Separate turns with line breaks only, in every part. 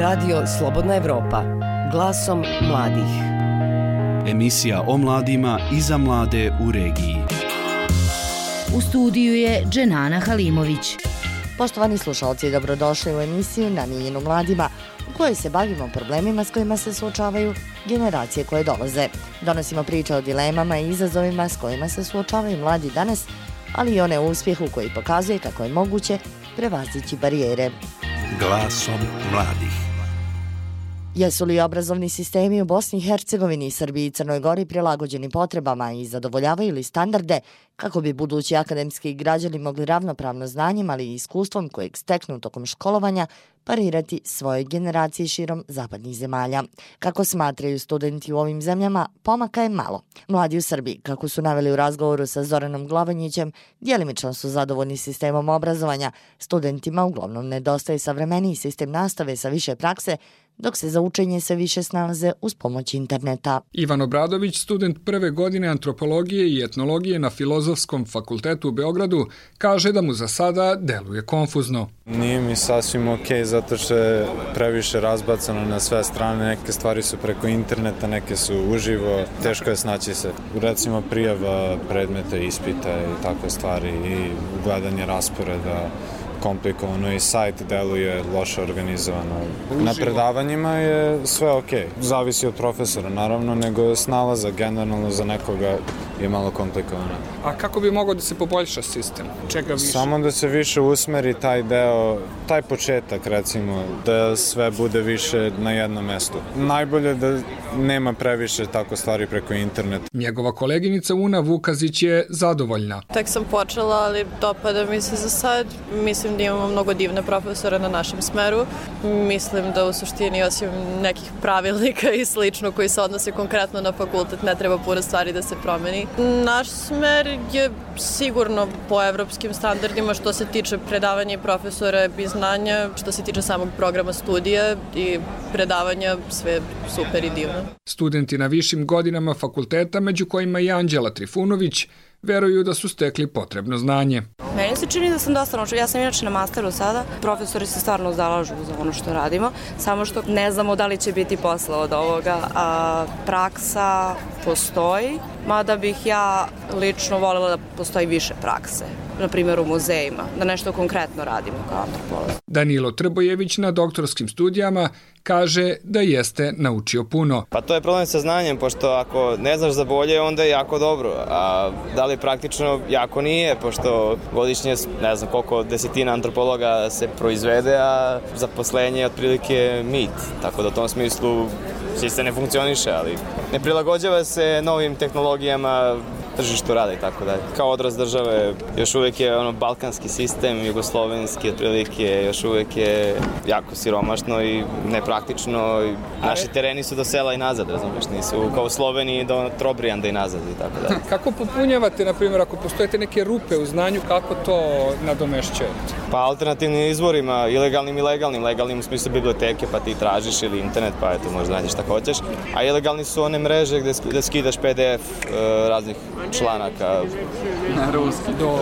Radio Slobodna Evropa, glasom mladih.
Emisija o mladima i za mlade u regiji.
U studiju je Dženana Halimović.
Poštovani slušalci, dobrodošli u emisiju namijenjenu mladima u kojoj se bavimo problemima s kojima se suočavaju generacije koje dolaze. Donosimo priče o dilemama i izazovima s kojima se suočavaju mladi danas, ali i one uspjehu koji pokazuje kako je moguće prevazići barijere.
Glasom mladih.
Jesu li obrazovni sistemi u Bosni i Hercegovini, Srbiji i Crnoj Gori prilagođeni potrebama i zadovoljavaju li standarde kako bi budući akademski građani mogli ravnopravno znanjem, ali i iskustvom kojeg steknu tokom školovanja parirati svojoj generaciji širom zapadnih zemalja? Kako smatraju studenti u ovim zemljama, pomaka je malo. Mladi u Srbiji, kako su naveli u razgovoru sa Zoranom Glavonjićem, djelimično su zadovoljni sistemom obrazovanja. Studentima uglavnom nedostaje savremeniji sistem nastave sa više prakse, dok se za učenje sve više snalaze uz pomoć interneta.
Ivan Obradović, student prve godine antropologije i etnologije na Filozofskom fakultetu u Beogradu, kaže da mu za sada deluje konfuzno.
Nije mi sasvim okej, zato što je previše razbacano na sve strane. Neke stvari su preko interneta, neke su uživo. Teško je snaći se. Recimo prijava predmeta, ispita i takve stvari i gledanje rasporeda. Komplikovano i sajt deluje loše organizovano. Na predavanjima je sve okej. Zavisi od profesora, naravno, nego snalaza generalno za nekoga je malo komplikovano.
A kako bi mogao da se poboljša sistem? Čega više?
Samo da se više usmeri taj deo, taj početak, recimo, da sve bude više na jednom mestu. Najbolje da nema previše tako stvari preko interneta.
Njegova koleginica Una Vukazić je zadovoljna.
Tek sam počela, ali dopada mi se za sad. Mislim da imamo mnogo divne profesore na našem smeru. Mislim da u suštini, osim nekih pravilnika i slično koji se odnose konkretno na fakultet, ne treba puno stvari da se promeni. Naš smer je sigurno po evropskim standardima što se tiče predavanja i profesora i znanja, što se tiče samog programa studija i predavanja, sve super i divno.
Studenti na višim godinama fakulteta, među kojima i Anđela Trifunović, veruju da su stekli potrebno znanje.
Meni se čini da sam dosta naučila. Ja sam inače na masteru sada. Profesori se stvarno zalažu za ono što radimo, samo što ne znamo da li će biti posle od ovoga. Praksa postoji, mada bih ja lično voljela da postoji više prakse. Na primjer u muzejima, da nešto konkretno radimo kao antropolog.
Danilo Trbojević na doktorskim studijama kaže da jeste naučio puno.
Pa to je problem sa znanjem, pošto ako ne znaš za bolje, onda je jako dobro. A da li praktično jako nije, pošto godišnje, ne znam koliko desetina antropologa se proizvede, a zaposlenje je otprilike mit. Tako da u tom smislu sistem ne funkcioniše, ali ne prilagođava se novim tehnologijama, tržištu rada i tako dalje. Kao odraz države još uvijek je balkanski sistem, jugoslovenski otprilike, još uvijek je jako siromašno i nepraktično. Naši tereni su do sela i nazad, razumiješ, nisu kao u Sloveniji do Trobrijanda i nazad i tako dalje.
Kako popunjavate, na primjer, ako postojete neke rupe u znanju, kako to nadomešćujete?
Pa alternativnim izvorima, ilegalnim i legalnim. Legalnim u smislu biblioteke, pa ti tražiš, ili internet, pa eto, možda nađeš šta hoćeš. A ilegalni su one mreže gde skidaš PDF raznih članaka.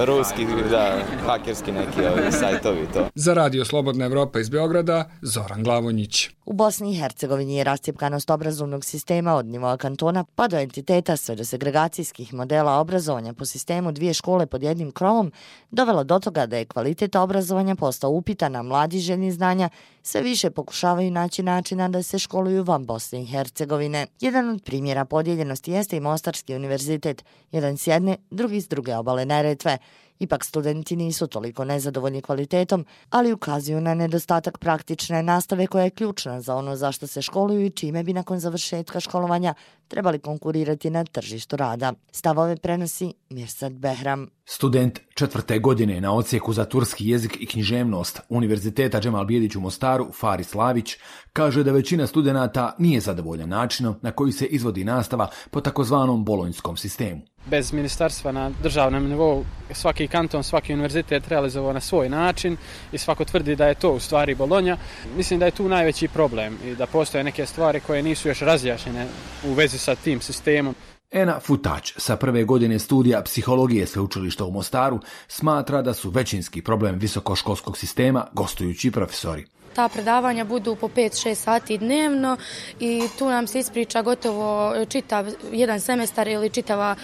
Ruski, da, hakerski neki sajtovi to.
Za Radio Slobodna Evropa iz Beograda, Zoran Glavonjić.
U Bosni i Hercegovini je rascjepkanost obrazovnog sistema od nivoa kantona pa do entiteta sve do segregacijskih modela obrazovanja po sistemu dvije škole pod jednim krovom dovela do toga da je kvalitet obrazovanja postao upitan, a mladi željni znanja sve više pokušavaju naći načina da se školuju van Bosne i Hercegovine. Jedan od primjera podijeljenosti jeste i Mostarski univerzitet, jedan s jedne, drugi s druge obale Neretve. Ipak studenti nisu toliko nezadovoljni kvalitetom, ali ukazuju na nedostatak praktične nastave koja je ključna za ono zašto se školuju i čime bi nakon završetka školovanja trebali konkurirati na tržištu rada. Stavove prenosi Mirsad Behram.
Student 4. godine na odsjeku za turski jezik i književnost Univerziteta Džemal Bijedić u Mostaru, Faris Lavić, kaže da većina studenata nije zadovoljan načinom na koji se izvodi nastava po takozvanom bolonjskom sistemu.
Bez ministarstva na državnom nivou svaki kanton, svaki univerzitet realizovao na svoj način i svako tvrdi da je to u stvari Bolonja. Mislim da je tu najveći problem i da postoje neke stvari koje nisu još razjašnjene u vezi sa tim sistemom.
Ena Futać sa prve godine studija psihologije Sveučilišta u Mostaru smatra da su većinski problem visokoškolskog sistema gostujući profesori.
Ta predavanja budu po 5-6 sati dnevno i tu nam se ispriča gotovo čitav jedan semestar ili čitava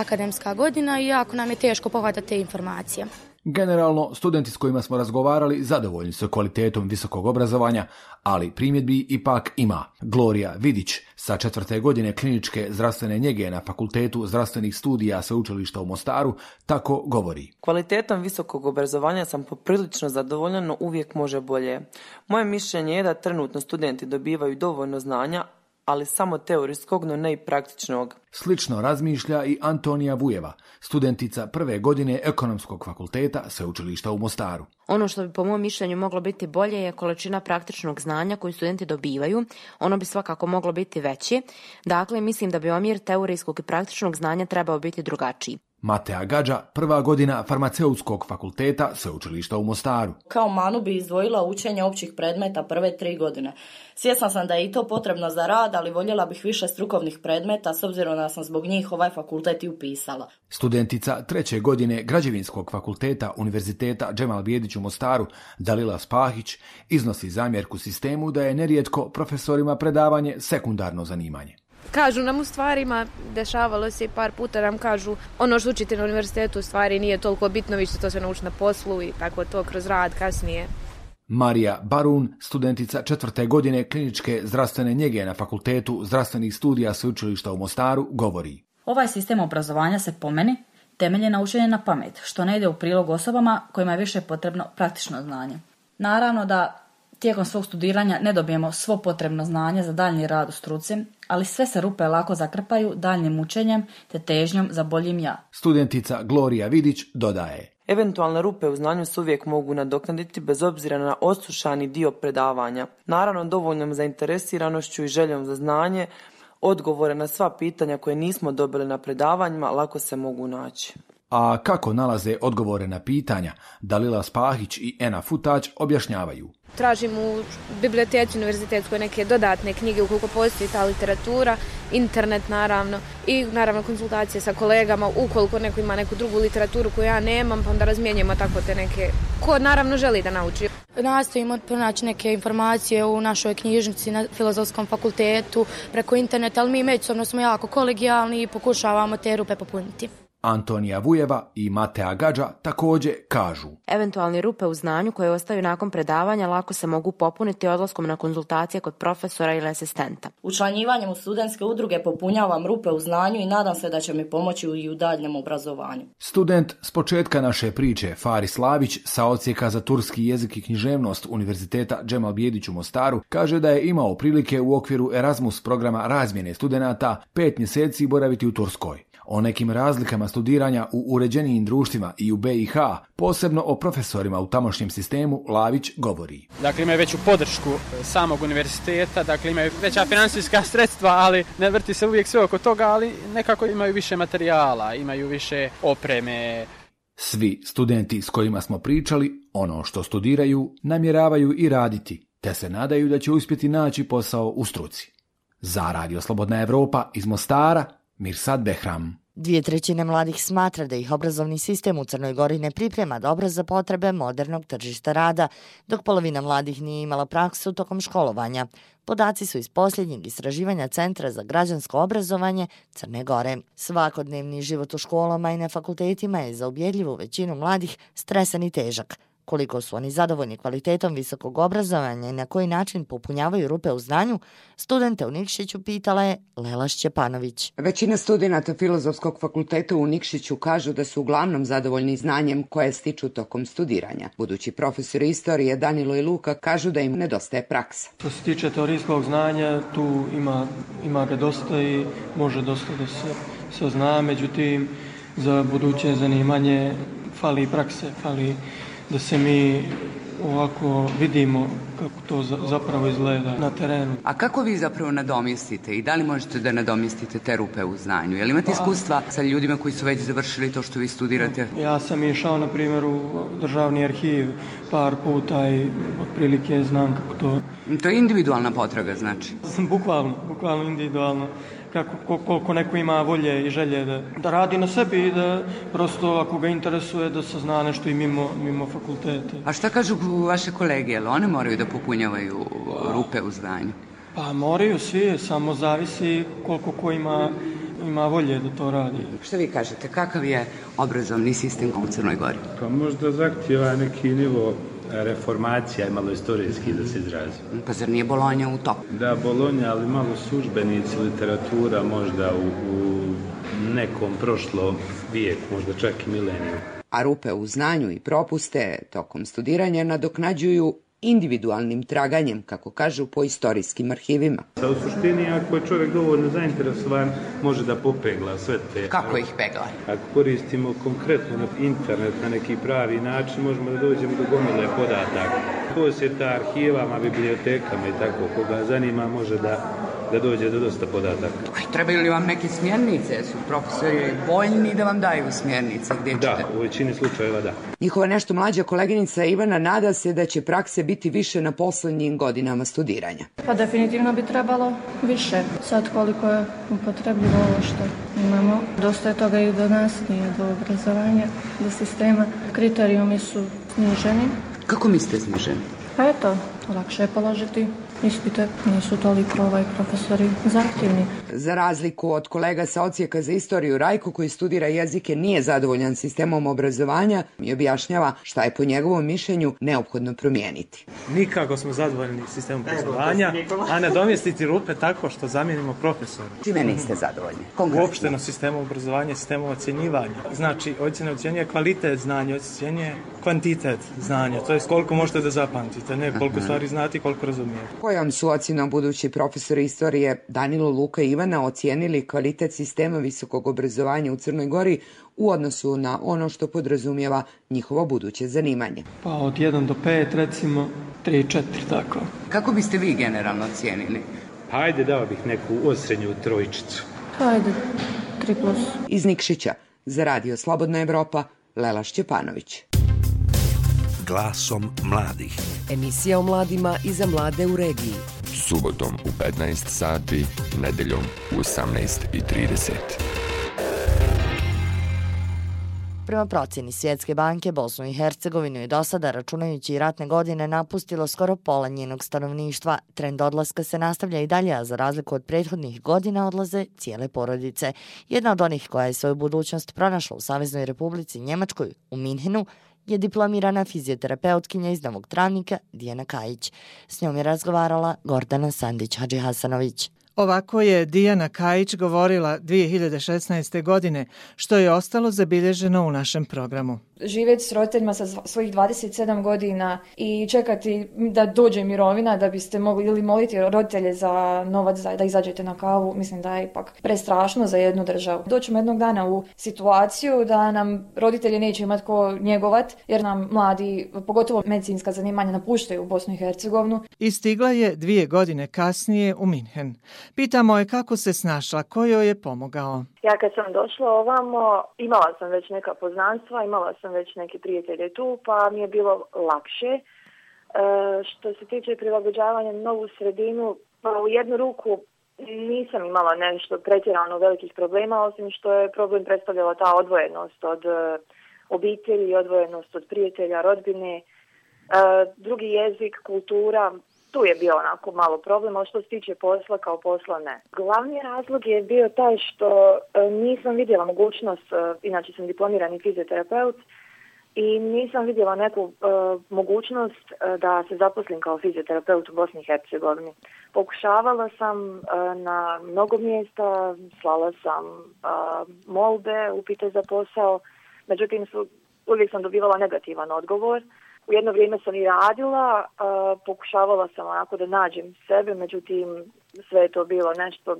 akademska godina i jako nam je teško pohvatati te informacije.
Generalno, studenti s kojima smo razgovarali zadovoljni su kvalitetom visokog obrazovanja, ali primjedbi ipak ima. Gloria Vidić sa 4. godine kliničke zdravstvene njege na Fakultetu zdravstvenih studija Sveučilišta u Mostaru tako govori.
Kvalitetom visokog obrazovanja sam poprilično zadovoljna, no uvijek može bolje. Moje mišljenje je da trenutno studenti dobivaju dovoljno znanja, ali samo teorijskog, no ne i praktičnog.
Slično razmišlja i Antonija Vujeva, studentica prve godine Ekonomskog fakulteta Sveučilišta u Mostaru.
Ono što bi po mom mišljenju moglo biti bolje je količina praktičnog znanja koju studenti dobivaju. Ono bi svakako moglo biti veće. Dakle, mislim da bi omjer teorijskog i praktičnog znanja trebao biti drugačiji.
Matea Gađa, prva godina Farmaceutskog fakulteta Sveučilišta u Mostaru.
Kao manu bi izdvojila učenje općih predmeta prve 3 godine. Svjesna sam da je i to potrebno za rad, ali voljela bih više strukovnih predmeta s obzirom da sam zbog njih ovaj fakultet i upisala.
Studentica 3. godine Građevinskog fakulteta Univerziteta Džemal Bijedić u Mostaru, Dalila Spahić, iznosi zamjerku sistemu da je nerijetko profesorima predavanje sekundarno zanimanje.
Kažu nam u stvarima, dešavalo se i par puta nam kažu ono što učite na univerzitetu u stvari nije toliko bitno, vi ćete to sve naučiti na poslu i tako to kroz rad kasnije.
Marija Barun, studentica 4. godine kliničke zdravstvene njege na Fakultetu zdravstvenih studija Sveučilišta u Mostaru, govori.
Ovaj sistem obrazovanja se po meni temelji na učenju na pamet, što ne ide u prilog osobama kojima je više potrebno praktično znanje. Naravno da tijekom svog studiranja ne dobijemo svo potrebno znanje za daljnji rad u struci, ali sve se rupe lako zakrpaju daljnjim učenjem te težnjom za boljim ja.
Studentica Gloria Vidić dodaje.
Eventualne rupe u znanju se uvijek mogu nadoknaditi bez obzira na odslušani dio predavanja. Naravno, dovoljnom zainteresiranošću i željom za znanje, odgovore na sva pitanja koje nismo dobili na predavanjima lako se mogu naći.
A kako nalaze odgovore na pitanja, Dalila Spahić i Ena Futać objašnjavaju.
Tražim u biblioteci univerzitetskoj neke dodatne knjige ukoliko postoji ta literatura, internet naravno i naravno konsultacije sa kolegama ukoliko neko ima neku drugu literaturu koju ja nemam, pa onda razmijenjamo tako te neke ko naravno želi da nauči.
Nastojimo pronaći neke informacije u našoj knjižnici na Filozofskom fakultetu preko interneta, ali mi međusobno smo jako kolegijalni i pokušavamo te rupe popuniti.
Antonija Vujeva i Matea Gađa također kažu.
Eventualne rupe u znanju koje ostaju nakon predavanja lako se mogu popuniti odlaskom na konzultacije kod profesora ili asistenta.
Učlanjivanjem u studentske udruge popunjavam rupe u znanju i nadam se da će mi pomoći i u daljnjem obrazovanju.
Student s početka naše priče, Faris Lavić, sa odsjeka za turski jezik i književnost Univerziteta Džemal Bijedić u Mostaru, kaže da je imao prilike u okviru Erasmus programa razmjene studenata 5 mjeseci boraviti u Turskoj. O nekim razlikama studiranja u uređenijim društvima i u BiH, posebno o profesorima u tamošnjem sistemu, Lavić govori.
Dakle, imaju veću podršku samog univerziteta, dakle imaju veća financijska sredstva, ali ne vrti se uvijek sve oko toga, ali nekako imaju više materijala, imaju više opreme.
Svi studenti s kojima smo pričali, ono što studiraju, namjeravaju i raditi, te se nadaju da će uspjeti naći posao u struci. Za Radio Slobodna Evropa iz Mostara, Mirsad Behram.
2/3 mladih smatra da ih obrazovni sistem u Crnoj Gori ne priprema dobro za potrebe modernog tržišta rada, dok polovina mladih nije imala praksu tokom školovanja. Podaci su iz posljednjeg istraživanja Centra za građansko obrazovanje Crne Gore. Svakodnevni život u školama i na fakultetima je za ubjedljivu većinu mladih stresan i težak. Koliko su oni zadovoljni kvalitetom visokog obrazovanja i na koji način popunjavaju rupe u znanju, studente u Nikšiću pitala je Lela Šćepanović.
Većina studenata Filozofskog fakulteta u Nikšiću kažu da su uglavnom zadovoljni znanjem koje stiču tokom studiranja. Budući profesori istorije Danilo i Luka kažu da im nedostaje praksa.
Što se tiče teorijskog znanja, tu ima ga dosta i može dosta da se zna, međutim za buduće zanimanje fali prakse, fali da se mi ovako vidimo kako to zapravo izgleda na terenu.
A kako vi zapravo nadomjestite i da li možete da nadomjestite te rupe u znanju? Jel imate iskustva sa ljudima koji su već završili to što vi studirate?
Ja sam išao, na primjer, u državni arhiv par puta i otprilike znam kako to...
To je individualna potraga, znači?
Bukvalno individualno. koliko neko ima volje i želje da radi na sebi i da prosto ako ga interesuje da sazna nešto i mimo fakulteta.
A šta kažu vaše kolege, jel one moraju da popunjavaju rupe u znanju?
Pa moraju svi, samo zavisi koliko ko ima volje da to radi.
Šta vi kažete, kakav je obrazovni sistem u Crnoj Gori?
Pa možda zahtjeva neki nivo reformacija i malo istorijski da se izrazi.
Pa zar nije Bolonja u toku?
Da, Bolonja, ali malo službenici, literatura možda u nekom prošlom vijeku, možda čak i mileniju.
A rupe u znanju i propuste tokom studiranja nadoknađuju individualnim traganjem, kako kažu, po istorijskim arhivima.
U suštini, ako je čovjek dovoljno zainteresovan, može da popegla sve te...
Kako ih pegla?
Ako koristimo konkretno internet na neki pravi način, možemo da dođemo do gomile podataka. Posjeta arhivama, bibliotekama i tako, koga zanima može da dođe do dosta podataka.
Trebaju li vam neke smjernice? Su profesori voljni da vam daju smjernice? Gdje ćete?
Da, u većini slučajeva da.
Njihova nešto mlađa koleginica Ivana nada se da će prakse biti više na poslednjim godinama studiranja.
Pa definitivno bi trebalo više. Sad koliko je upotrebljivo ovo što imamo. Dosta je toga i do nas, nije do obrazovanja, do sistema. Kriterijumi su sniženi.
Kako mislite sniženi?
Pa eto, lakše je položiti ispite, nisu toliko profesori zahtjevni.
Za razliku od kolega sa odsjeka za istoriju, Rajko, koji studira jezike, nije zadovoljan sistemom obrazovanja i objašnjava šta je po njegovom mišljenju neophodno promijeniti.
Nikako smo zadovoljni sistemom obrazovanja, a nadomjestiti rupe tako što zamijenimo profesora.
Čime niste zadovoljni? Konkretno.
Uopšteno sistemom obrazovanja, sistemom ocjenjivanja. Znači, ocjena ocjenjuje kvalitet znanja, ocjenjuje kvantitet znanja, to je koliko možete da zapamtite, ne koliko stvari znate i koliko razumijete.
Kojom su ocjenom budući profesori istorije Danilo, Luka i Ivana ocijenili kvalitet sistema visokog obrazovanja u Crnoj Gori u odnosu na ono što podrazumijeva njihovo buduće zanimanje?
Pa od 1 do 5 recimo, 3-4 tako.
Kako biste vi generalno ocijenili?
Hajde, dao bih neku osrednju trojčicu.
Hajde, 3+.
Iz Nikšića, za Radio Slobodna Evropa, Lela Šćepanović.
Glasom mladih.
Emisija o mladima i za mlade u regiji.
Subotom u 15 sati, nedeljom u 18:30.
Prema procjeni Svjetske banke, Bosnu i Hercegovinu je do sada, računajući i ratne godine, napustilo skoro pola njenog stanovništva. Trend odlaska se nastavlja i dalje, a za razliku od prethodnih godina odlaze cijele porodice. Jedna od onih koja je svoju budućnost pronašla u Saveznoj Republici Njemačkoj, u Minhenu, je diplomirana fizioterapeutkinja iz Novog Travnika Dijana Kajić. S njom je razgovarala Gordana Sandić-Hadžihasanović.
Ovako je Dijana Kajić govorila 2016. godine, što je ostalo zabilježeno u našem programu.
Živjeti s roditeljima sa svojih 27 godina i čekati da dođe mirovina da biste mogli ili moliti roditelje za novac da izađete na kavu, mislim da je ipak prestrašno za jednu državu. Doćemo jednog dana u situaciju da nam roditelji neće imati ko njegovat, jer nam mladi, pogotovo medicinska zanimanja, napuštaju u Bosnu i Hercegovinu.
I stigla je 2 godine kasnije u Minhen. Pitamo je kako se snašla, ko joj je pomogao.
Ja kad sam došla ovamo, imala sam već neka poznanstva, imala sam već neke prijatelje tu, pa mi je bilo lakše. Što se tiče prilagođavanja na novu sredinu, pa u jednu ruku nisam imala nešto pretjerano velikih problema, osim što je problem predstavljala ta odvojenost od obitelji, odvojenost od prijatelja, rodbine, drugi jezik, kultura. Tu je bio onako malo problem, ali što se tiče posla, kao posla ne. Glavni razlog je bio taj što nisam vidjela mogućnost, inače sam diplomirani fizioterapeut, i nisam vidjela neku mogućnost da se zaposlim kao fizioterapeut u Bosni i Hercegovini. Pokušavala sam na mnogo mjesta, slala sam molbe, upite za posao, međutim uvijek sam dobivala negativan odgovor. U jedno vrijeme sam i radila, pokušavala sam onako da nađem sebe, međutim sve je to bilo nešto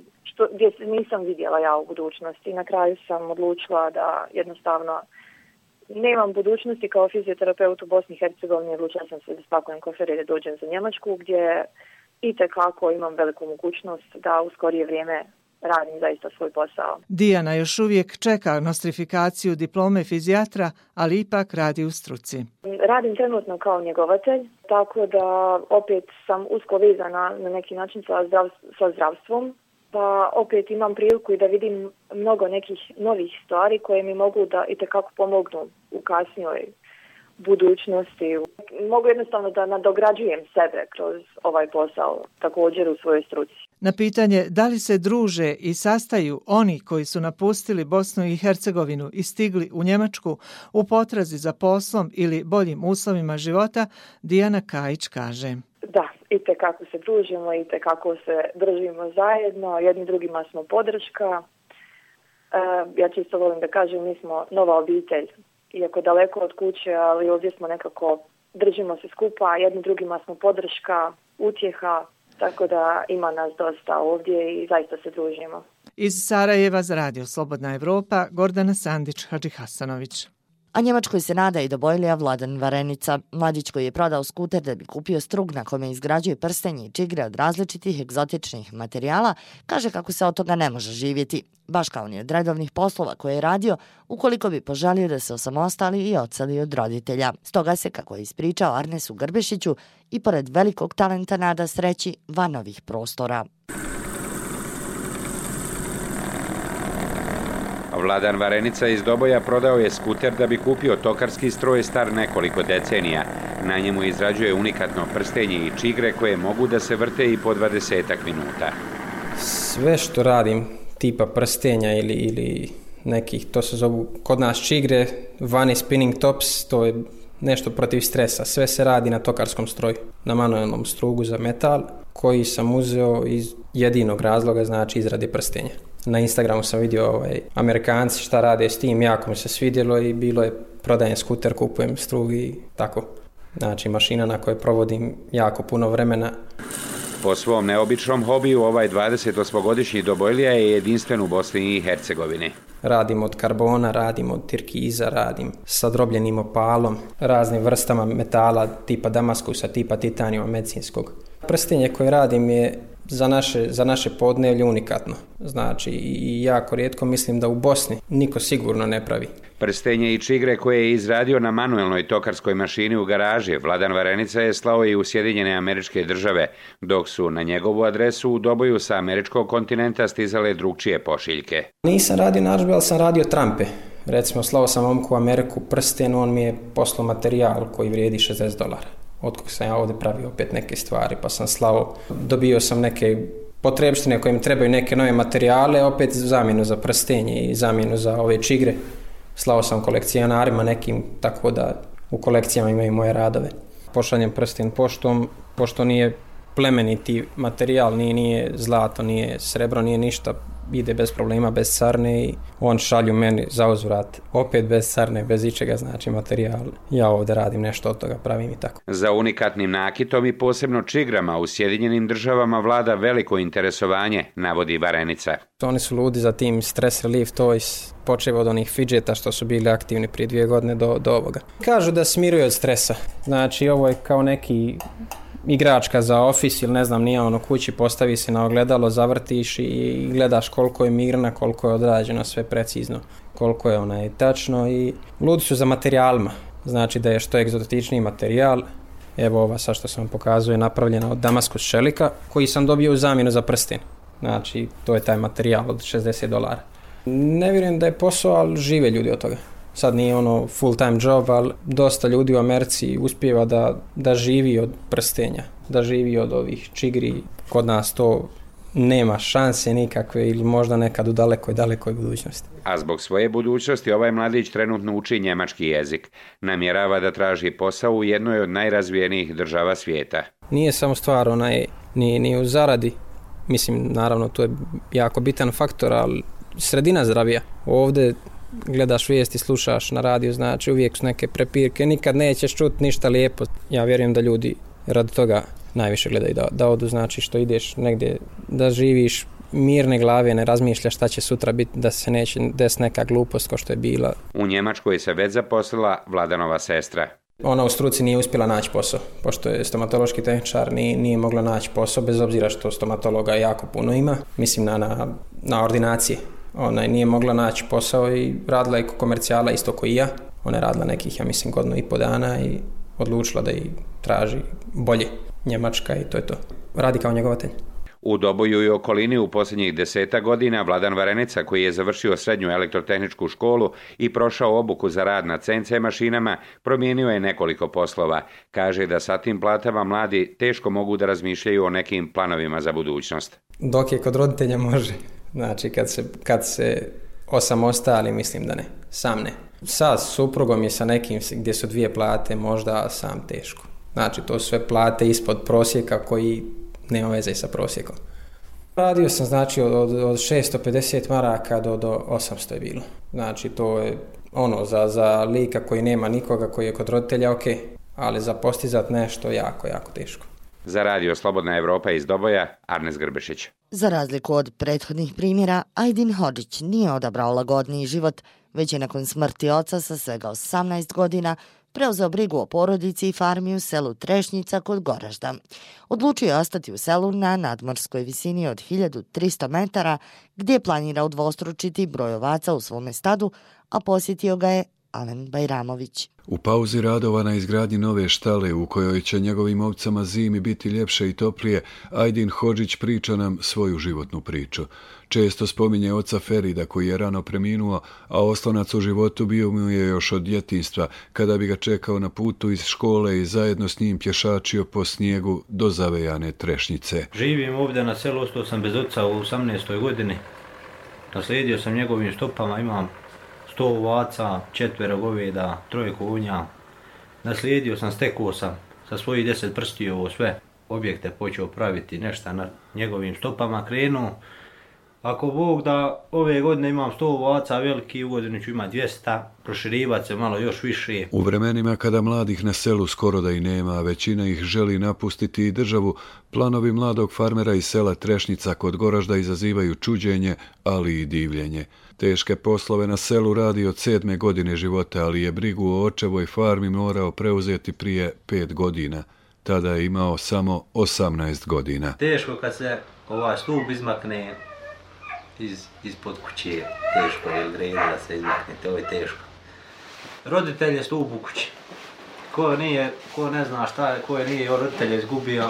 gdje nisam vidjela ja u budućnosti. I na kraju sam odlučila da jednostavno nemam budućnosti kao fizioterapeut u Bosni i Hercegovini. Odlučila sam se da spakujem kofere i da dođem za Njemačku, gdje itekako imam veliku mogućnost da u skorije vrijeme radim zaista svoj posao.
Dijana još uvijek čeka nostrifikaciju diplome fizijatra, ali ipak radi u struci.
Radim trenutno kao njegovatelj, tako da opet sam usko vezana na neki način sa zdravstvom pa opet imam priliku i da vidim mnogo nekih novih stvari koje mi mogu da itekako pomognu u kasnijoj budućnosti. Mogu jednostavno da nadograđujem sebe kroz ovaj posao, također u svojoj struci.
Na pitanje da li se druže i sastaju oni koji su napustili Bosnu i Hercegovinu i stigli u Njemačku u potrazi za poslom ili boljim uslovima života, Dijana Kajić kaže:
Da, itekako se družimo, itekako se držimo zajedno, jedni drugima smo podrška. Ja čisto volim da kažem, mi smo nova obitelj, iako daleko od kuće, ali ovdje smo nekako, držimo se skupa, jedni drugima smo podrška, utjeha, tako da ima nas dosta ovdje i zaista se družimo.
Iz Sarajeva za Radio Slobodna Evropa, Gordana Sandić Hadžihasanović.
A Njemačkoj se nada i dobojlija Vladan Varenica. Mladić koji je prodao skuter da bi kupio strug na kome izgrađuje prstenje i čigre od različitih egzotičnih materijala, kaže kako se od toga ne može živjeti, baš kao ni od redovnih poslova koje je radio, ukoliko bi poželio da se osamostali i odseli od roditelja. Stoga se, kako je ispričao Arnesu Grbešiću, i pored velikog talenta nada sreći van ovih prostora.
Vladan Varenica iz Doboja prodao je skuter da bi kupio tokarski stroj star nekoliko decenija. Na njemu izrađuje unikatno prstenje i čigre koje mogu da se vrte i po 20 minuta.
Sve što radim, tipa prstenja ili nekih, to se zovu kod nas čigre, vani spinning tops, to je nešto protiv stresa. Sve se radi na tokarskom stroju, na manuelnom strugu za metal, koji sam uzeo iz jedinog razloga, znači izrade prstenja. Na Instagramu sam vidio Amerikanci šta rade s tim, jako mi se svidjelo i bilo je prodajem skuter, kupujem strug i tako. Znači mašina na kojoj provodim jako puno vremena.
Po svom neobičnom hobiju ovaj 28-godišnji Dobojlija je jedinstven u Bosni i Hercegovini.
Radim od karbona, radim od tirkiza, radim sa drobljenim opalom, raznim vrstama metala tipa damaskusa, tipa titanijuma medicinskog. Prstenje koje radim je za naše podneblje unikatno. Znači i jako rijetko, mislim da u Bosni niko sigurno ne pravi.
Prstenje i čigre koje je izradio na manuelnoj tokarskoj mašini u garaži, Vladan Varenica je slao i u Sjedinjene Američke Države, dok su na njegovu adresu u Doboju sa američkog kontinenta stizale drugčije pošiljke.
Nisam radio narudžbe, ali sam radio trampe. Recimo, slao sam momku u Ameriku prsten, on mi je poslao materijal koji vrijedi $60. Otkog sam ja ovdje pravio opet neke stvari, pa sam slao, dobio sam neke potrebštine koje mi trebaju neke nove materijale, opet zamjenu za prstenje i zamjenu za ove čigre. Slao sam kolekcionarima nekim, tako da u kolekcijama imaju moje radove. Pošaljem prsten poštom, pošto nije plemeniti materijal, nije zlato, nije srebro, nije ništa, ide bez problema, bez carne i on šalju meni za uzvrat opet bez carne, bez ičega, znači materijal. Ja ovdje radim nešto od toga, pravim i tako.
Za unikatnim nakitom i posebno čigrama u Sjedinjenim Državama vlada veliko interesovanje, navodi Varenica.
Oni su ludi za tim stress relief toys, počev od onih fidžeta što su bili aktivni prije 2 godine do ovoga. Kažu da smiruje od stresa, znači ovo je kao neki igračka za ofis ili ne znam, nije ono kući, postavi se na ogledalo, zavrtiš i gledaš koliko je mirna, koliko je odrađeno, sve precizno, koliko je tačno i ludi su za materijalima, znači da je što egzotičniji materijal. Evo ova sad što sam pokazuje napravljena od damaskus šelika koji sam dobio u zamjenu za prsten, znači to je taj materijal od $60. Ne vjerujem da je posao, ali žive ljudi od toga. Sad nije ono full time job, ali dosta ljudi u Americi uspijeva da živi od prstenja, da živi od ovih čigri. Kod nas to nema šanse nikakve ili možda nekad u dalekoj budućnosti.
A zbog svoje budućnosti ovaj mladić trenutno uči njemački jezik. Namjerava da traži posao u jednoj od najrazvijenijih država svijeta.
Nije samo stvar ni u zaradi. Mislim, naravno, to je jako bitan faktor, ali sredina zdravija. Ovdje gledaš vijesti, slušaš na radiju, znači uvijek su neke prepirke, nikad nećeš čuti ništa lijepo. Ja vjerujem da ljudi radi toga najviše gledaju da odu, znači što ideš negdje, da živiš mirne glave, ne razmišljaš šta će sutra biti, da se neće desiti neka glupost kao što je bila.
U Njemačkoj se već zaposlila Vladanova sestra.
Ona u struci nije uspjela naći posao, pošto je stomatološki tehničar, nije mogla naći posao, bez obzira što stomatologa jako puno ima, mislim na ordinacije. Ona nije mogla naći posao i radila je komercijala isto kao i ja. Ona je radila nekih, ja mislim, 1,5 dana i odlučila da i traži bolje Njemačka i to je to. Radi kao njegovatelj.
U Doboju i okolini u posljednjih 10 godina Vladan Varenica, koji je završio srednju elektrotehničku školu i prošao obuku za rad na CNC mašinama, promijenio je nekoliko poslova. Kaže da sa tim platama mladi teško mogu da razmišljaju o nekim planovima za budućnost.
Dok je kod roditelja može. Znači kad se osamostali, mislim da ne. Sam ne. Sa suprugom i sa nekim gdje su 2 plate možda sam teško. Znači to su sve plate ispod prosjeka koji nema veze sa prosjekom. Radio sam znači od 650 maraka do 800 je bilo. Znači to je za lika koji nema nikoga, koji je kod roditelja ok, ali za postizat nešto jako, jako teško.
Za radio Slobodna Evropa iz Doboja, Arnes Grbešić.
Za razliku od prethodnih primjera, Ajdin Hodžić nije odabrao lagodniji život, već je nakon smrti oca sa svega 18 godina preuzeo brigu o porodici i farmi u selu Trešnjica kod Goražda. Odlučio je ostati u selu na nadmorskoj visini od 1300 metara, gdje planira udvostručiti broj ovaca u svome stadu, a posjetio ga je Alen Bajramović.
U pauzi radova na izgradnji nove štale u kojoj će njegovim ovcama zimi biti ljepše i toplije, Ajdin Hodžić priča nam svoju životnu priču. Često spominje oca Ferida koji je rano preminuo, a oslonac u životu bio mu je još od djetinjstva, kada bi ga čekao na putu iz škole i zajedno s njim pješačio po snijegu do zavejane Trešnjice.
Živim ovdje na selu, ostao sam bez oca u 18. godini. Naslijedio sam njegovim stopama, imam 100 ovaca, 4 goveda, 3 konja. Naslijedio sam, stekao sam sa svojih 10 prstiju sve objekte počeo praviti, nešto na njegovim stopama krenuo. Ako Bog da ove godine imam 100 ovaca veliki, u godinu ću imati 200, proširivati se malo još više.
U vremenima kada mladih na selu skoro da i nema, većina ih želi napustiti i državu, planovi mladog farmera iz sela Trešnjica kod Goražda izazivaju čuđenje, ali i divljenje. Teške poslove na selu radi od 7. godine života, ali je brigu o očevoj farmi morao preuzeti prije 5 godina. Tada je imao samo 18 godina.
Teško kad se ovaj stup izmakne ispod kuće, teško je greda da se izmakne, to je teško. Roditelj je stup u kući. Ko ne zna šta je, ko je nije roditelja izgubio,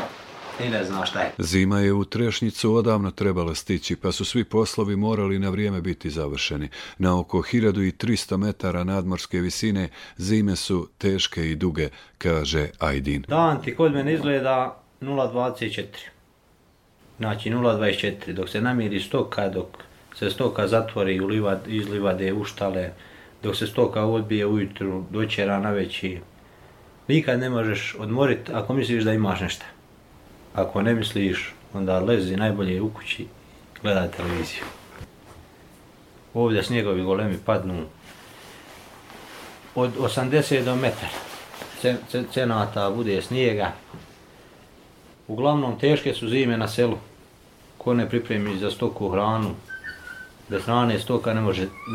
i ne zna šta je.
Zima je u Trešnjicu odavno trebala stići, pa su svi poslovi morali na vrijeme biti završeni. Na oko 1300 metara nadmorske visine zime su teške i duge, kaže Ajdin.
Dan ti kod mene izgleda 0,24. Znači 0,24. Dok se namiri stoka, dok se stoka zatvori iz livade u štale, dok se stoka odbije ujutru, dočera na veći. Nikad ne možeš odmoriti ako misliš da imaš nešto. Ako ne misliš, onda lezi najbolje u kući, gledaj televiziju. Ovdje snjegovi golemi padnu od 80 do metra. Cenata bude snijega. Uglavnom teške su zime na selu. Ko ne pripremi za stoku hranu, bez hrane stoka ne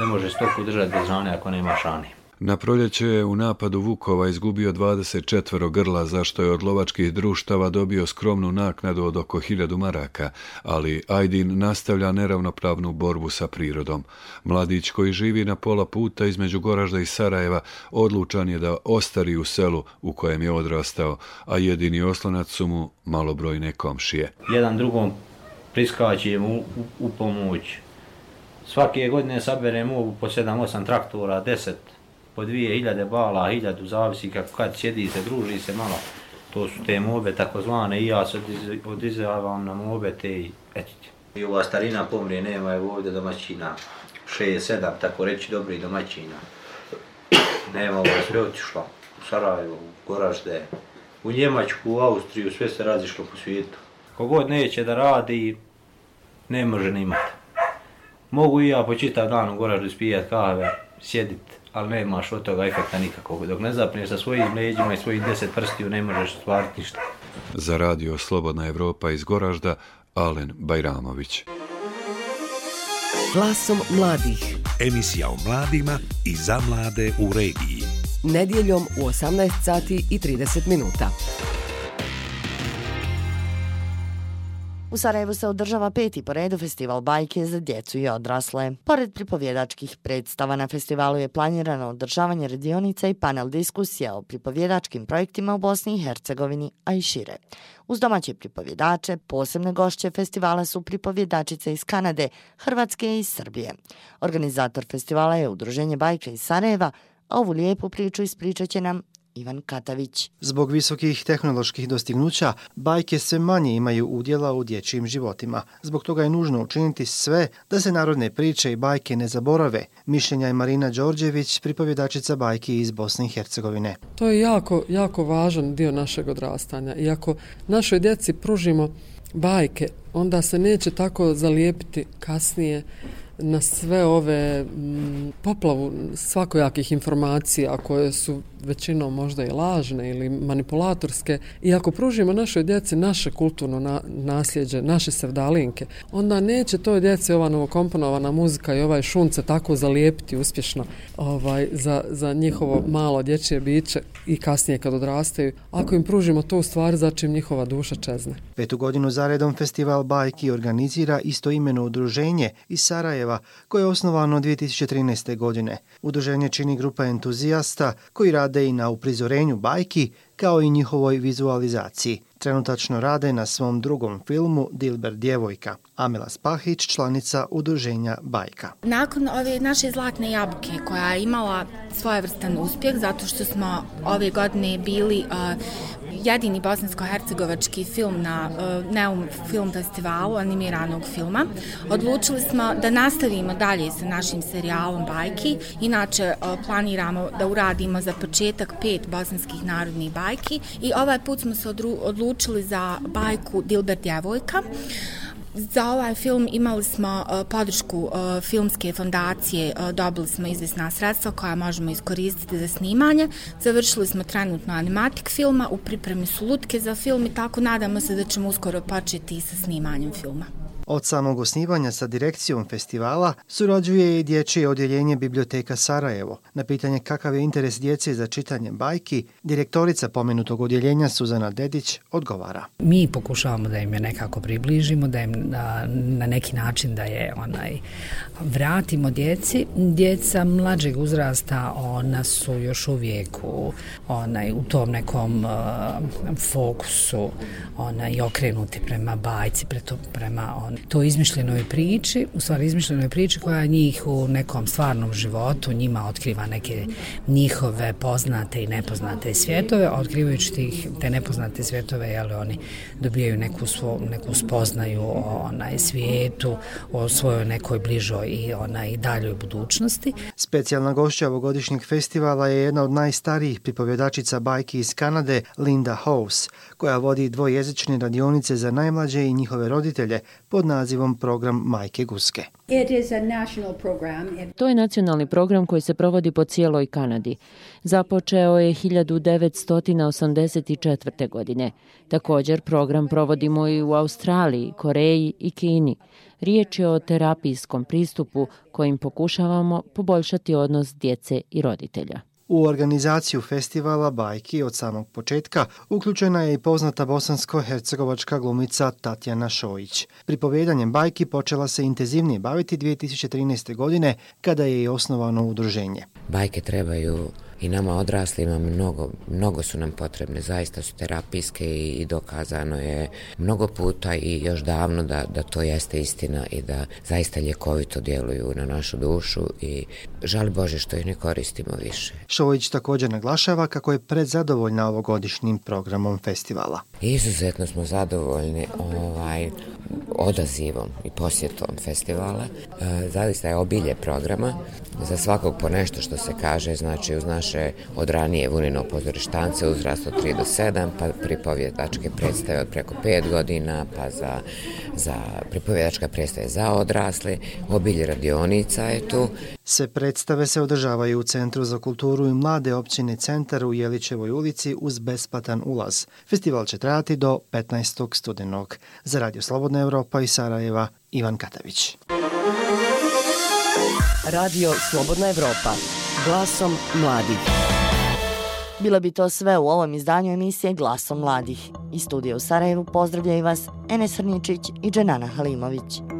može stoku držati bez hrane ako nema hrane.
Na proljeće je u napadu vukova izgubio 24 grla, za što je od lovačkih društava dobio skromnu naknadu od oko 1000 maraka, ali Ajdin nastavlja neravnopravnu borbu sa prirodom. Mladić koji živi na pola puta između Goražda i Sarajeva odlučan je da ostari u selu u kojem je odrastao, a jedini oslonac su mu malobrojne komšije.
Jedan drugom priskače mu u pomoć. Svake godine saberemo po 7-8 traktora, 10 po 2000 bala, 1000, zavisi kako kad sjedi se, druži se malo. To su te mobe takozvane i ja se odizavam na mobe te i etite. I ova starina pomrije, nema je ovdje domaćina, 6-7, tako reći dobri domaćina. Nema, ovo sve otišlo u Sarajevo, u Goražde, u Njemačku, u Austriju, sve se razišlo po svijetu. Kogod neće da radi, ne može ni imati. Mogu i ja po čitav dan u Goraždu spijat kave, sjedit, ali nemaš od toga efekta nikakvog. Dok ne zapneš sa svojim leđima i svojih 10 prstiju, ne možeš stvariti ništa.
Za radio Slobodna Evropa iz Goražda, Alen Bajramović.
Glasom mladih.
Emisija o mladima i za mlade u regiji.
Nedjeljom u 18 sati i 30 minuta.
U Sarajevu se održava 5. po redu festival bajke za djecu i odrasle. Pored pripovjedačkih predstava na festivalu je planirano održavanje radionica i panel diskusija o pripovjedačkim projektima u Bosni i Hercegovini, a i šire. Uz domaće pripovjedače, posebne gošće festivala su pripovjedačice iz Kanade, Hrvatske i Srbije. Organizator festivala je Udruženje bajke iz Sarajeva, a ovu lijepu priču ispričat će nam Ivan Katavić.
Zbog visokih tehnoloških dostignuća, bajke sve manje imaju udjela u dječjim životima. Zbog toga je nužno učiniti sve da se narodne priče i bajke ne zaborave. Mišljenja je Marina Đorđević, pripovjedačica bajki iz Bosne i Hercegovine.
To je jako važan dio našeg odrastanja. I ako našoj djeci pružimo bajke, onda se neće tako zalijepiti kasnije na sve ove poplavu svakojakih informacija koje su većinom možda i lažne ili manipulatorske. I ako pružimo našoj djeci naše kulturno nasljeđe, naše sevdalinke, onda neće toj djeci ova novokomponovana muzika i ovaj šunce tako zalijepiti uspješno za njihovo malo dječje biće i kasnije kad odrastaju. Ako im pružimo to u stvari, začim njihova duša čezne.
5. godinu zaredom festival bajki organizira istoimeno udruženje iz Sarajeva koje je osnovano 2013. godine. Udruženje čini grupa entuzijasta koji rade i na uprizorenju bajki kao i njihovoj vizualizaciji. Trenutačno rade na svom drugom filmu Dilber djevojka. Amela Spahić, članica udruženja Bajka.
Nakon ove naše Zlatne jabuke koja je imala svojevrstan uspjeh zato što smo ove godine bili jedini bosansko-hercegovački film na Neum film festivalu animiranog filma, odlučili smo da nastavimo dalje sa našim serijalom bajki. Inače planiramo da uradimo za početak 5 bosanskih narodnih bajki i ovaj put smo se odlučili za bajku Dilber djevojka. Za ovaj film imali smo podršku filmske fondacije, dobili smo izvjesna sredstva koja možemo iskoristiti za snimanje. Završili smo trenutno animatik filma, u pripremi su lutke za film i tako nadamo se da ćemo uskoro početi sa snimanjem filma.
Od samog osnivanja sa direkcijom festivala surađuje i dječje odjeljenje Biblioteka Sarajevo. Na pitanje kakav je interes djece za čitanje bajki, direktorica pomenutog odjeljenja Suzana Dedić odgovara.
Mi pokušavamo da im je nekako približimo, da im na neki način da je vratimo djeci. Djeca mlađeg uzrasta, ona su još uvijek u tom nekom fokusu i okrenuti prema bajci, prema to izmišljenoj priči, u stvari izmišljenoj priči koja njih u nekom stvarnom životu njima otkriva neke njihove poznate i nepoznate svjetove. Otkrivajući te nepoznate svjetove, oni dobijaju neku spoznaju o svijetu, o svojoj nekoj bližoj i daljoj budućnosti.
Specijalna gošća ovogodišnjeg festivala je jedna od najstarijih pripovjedačica bajki iz Kanade, Linda House, koja vodi dvojezične radionice za najmlađe i njihove roditelje pod nazivom Program Majke Guske.
To je nacionalni program koji se provodi po cijeloj Kanadi. Započeo je 1984. godine. Također program provodimo i u Australiji, Koreji i Kini. Riječ je o terapijskom pristupu kojim pokušavamo poboljšati odnos djece i roditelja.
U organizaciju festivala bajki od samog početka uključena je i poznata bosansko-hercegovačka glumica Tatjana Šojić. Pripovjedanjem bajki počela se intenzivnije baviti 2013. godine kada je i osnovano udruženje.
Bajke trebaju i nama odraslima mnogo su nam potrebne, zaista su terapijske i dokazano je mnogo puta i još davno da to jeste istina i da zaista ljekovito djeluju na našu dušu i žali Bože što ih ne koristimo više.
Šojić također naglašava kako je predzadovoljna ovogodišnjim programom festivala.
Izuzetno smo zadovoljni odazivom i posjetom festivala. Zaista je obilje programa, za svakog po nešto što se kaže, znači uz naše od ranije Vunino pozorištance uzrast od 3 do 7, pa pripovjedačke predstave od preko 5 godina, pa za pripovjedačka predstave za odrasle, obilje radionica je tu.
Sve predstave se održavaju u Centru za kulturu i mlade općine Centar u Jelićevoj ulici uz besplatan ulaz. Festival će trajati do 15. studenog. Za Radio Slobodna Evropa iz Sarajeva, Ivan Katavić.
Radio Slobodna Evropa, glasom mladih.
Bilo bi to sve u ovom izdanju emisije Glasom mladih. Iz studija u Sarajevu pozdravljaju vas Enes Hrničić i Dženana Halimović.